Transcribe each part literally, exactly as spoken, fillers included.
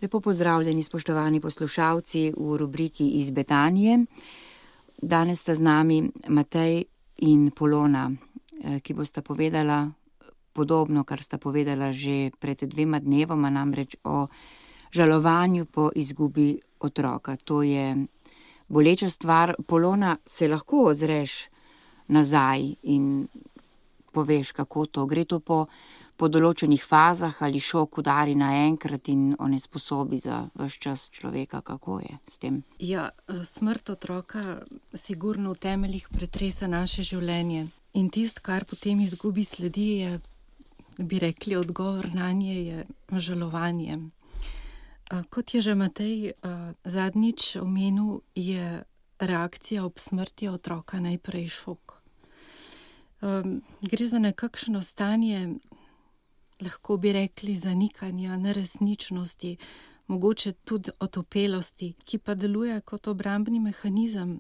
Lepo pozdravljeni, spoštovani poslušalci v rubriki Iz Betanije. Danes sta z nami Matej in Polona, ki bosta povedala podobno, kar sta povedala že pred dvema dnevoma, namreč o žalovanju po izgubi otroka. To je boleča stvar. Polona, se lahko ozreš nazaj in poveš, kako to gre to po po določenih fazah, ali šok udari naenkrat in onesposobi za ves čas človeka, kako je s tem? Ja, smrt otroka sigurno v temeljih pretresa naše življenje. In tisto, kar potem izgubi sledi, je, bi rekli, odgovor nanje je žalovanje. Kot je že Matej zadnjič omenil, je reakcija ob smrti otroka najprej šok. Gre za nekakšno stanje, lahko bi rekli, zanikanja, neresničnosti, mogoče tudi otopelosti, ki pa deluje kot obrambni mehanizem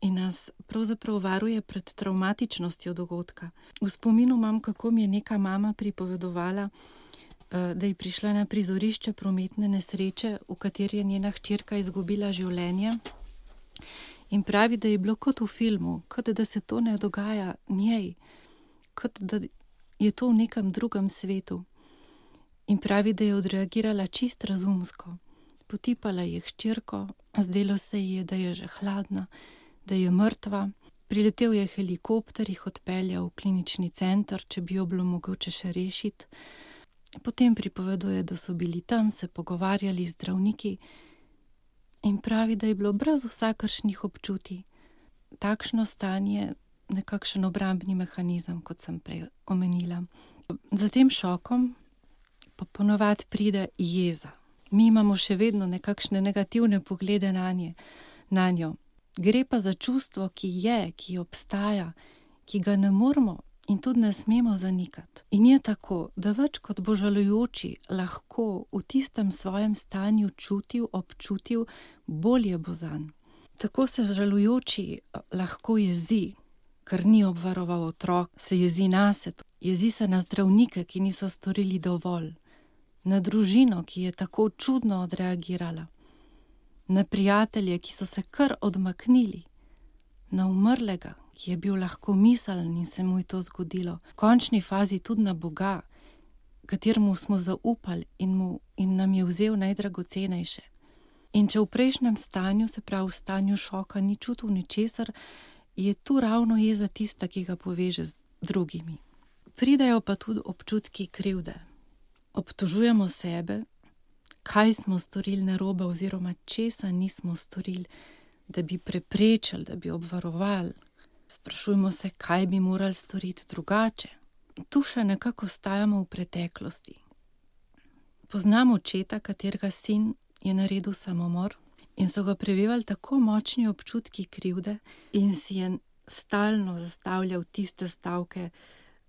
in nas pravzaprav varuje pred travmatičnostjo dogodka. V spominu imam, kako mi je neka mama pripovedovala, da je prišla na prizorišče prometne nesreče, v kateri je njena hčerka izgubila življenje, in pravi, da je bilo kot v filmu, kot da se to ne dogaja njej, kot da je to v nekem drugem svetu. In pravi, da je odreagirala čist razumsko. Potipala je hčerko, zdelo se ji je, da je že hladna, da je mrtva. Priletel je helikopter, jih odpeljal v klinični center, če bi jo bilo mogoče še rešiti. Potem pripoveduje, da so bili tam, se pogovarjali z zdravniki in pravi, da je bilo brez vsakršnih občutij. Takšno stanje, nekakšen obrambni mehanizem, kot sem prej omenila. Za tem šokom pa ponovadi pride jeza. Mi imamo še vedno nekakšne negativne poglede nanje, nanjo. Gre pa za čustvo, ki je, ki obstaja, ki ga ne moremo in tudi ne smemo zanikati. In je tako, da več kot bo žalujoči lahko v tistem svojem stanju čutil, občutil, bolje bo zanj. Tako se žalujoči lahko jezi, ker ni obvaroval otrok, se jezi nase, jezi se na zdravnike, ki niso storili dovolj, na družino, ki je tako čudno odreagirala, na prijatelje, ki so se kar odmaknili, na umrlega, ki je bil lahko miseln in se mu je to zgodilo, v končni fazi tudi na Boga, kateremu smo zaupali in, mu, in nam je vzel najdragocenejše. In če v prejšnjem stanju, se pravi v stanju šoka, ni čutil ničesar, je tu ravno jeza tista, ki ga poveže z drugimi. Pridejo pa tudi občutki krivde. Obtožujemo sebe, kaj smo storili narobe oziroma česa nismo storili, da bi preprečili, da bi obvarovali. Sprašujemo se, kaj bi morali storiti drugače. Tu še nekako ostajamo v preteklosti. Poznam očeta, katerega sin je naredil samomor, in so ga prevevali tako močni občutki krivde in si je stalno zastavljal tiste stavke,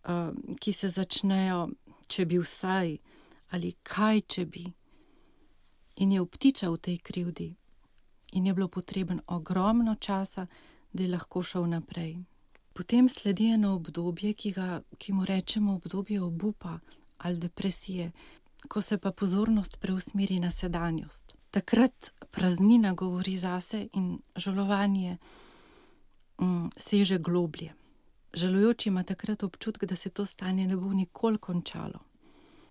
uh, ki se začnejo, če bi vsaj, ali kaj, če bi. In je obtičal v tej krivdi. In je bilo potreben ogromno časa, da je lahko šel naprej. Potem sledi eno obdobje, ki, ga, ki mu rečemo obdobje obupa ali depresije, ko se pa pozornost preusmeri na sedanjost. Takrat praznina govori zase in žalovanje mm, seže globlje. Žalujoči ima takrat občutek, da se to stanje ne bo nikoli končalo.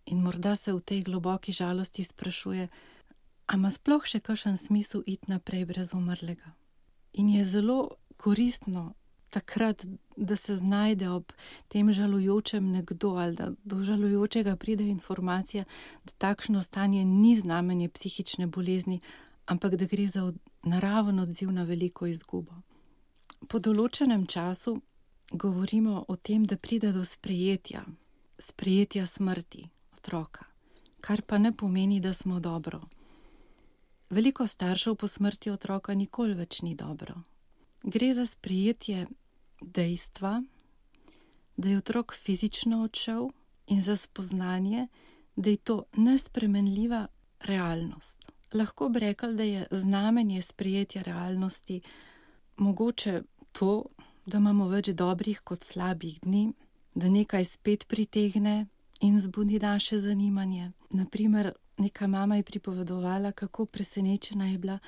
In morda se v tej globoki žalosti sprašuje, a ima sploh še kakšen smisel iti naprej brez umrlega. In je zelo koristno takrat, da se znajde ob tem žalujočem nekdo ali da do žalujočega pride informacija, da takšno stanje ni znamenje psihične bolezni, ampak da gre za naraven odziv na veliko izgubo. Po določenem času govorimo o tem, da pride do sprejetja, sprejetja smrti otroka, kar pa ne pomeni, da smo dobro. Veliko staršev po smrti otroka nikoli več ni dobro. Gre za sprejetje dejstva, da je otrok fizično odšel, in za spoznanje, da je to nespremenljiva realnost. Lahko bi rekli, da je znamenje sprejetja realnosti mogoče to, da imamo več dobrih kot slabih dni, da nekaj spet pritegne in zbudi naše zanimanje. Naprimer, neka mama je pripovedovala, kako presenečena je bila,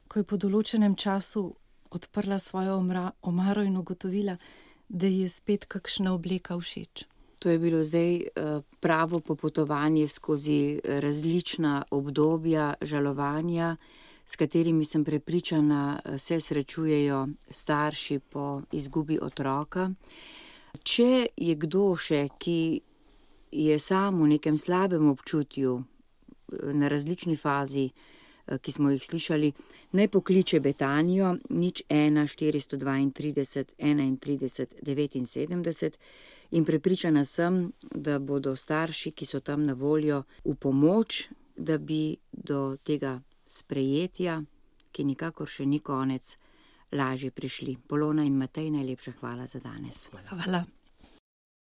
ko je po določenem času odprla svojo omaro in ugotovila, da ji je spet kakšna obleka všeč. To je bilo zdaj pravo popotovanje skozi različna obdobja žalovanja, s katerimi sem prepričana, se srečujejo starši po izgubi otroka. Če je kdo še, ki je sam v nekem slabem občutju na različni fazi, ki smo jih slišali, naj pokliče Betanijo nič ena štiristo dvaintrideset enaintrideset devetinsedemdeset in prepričana sem, da bodo starši, ki so tam na voljo, v pomoč, da bi do tega sprejetja, ki nikakor še ni konec, lažje prišli. Polona in Matej, najlepša hvala za danes. Hvala.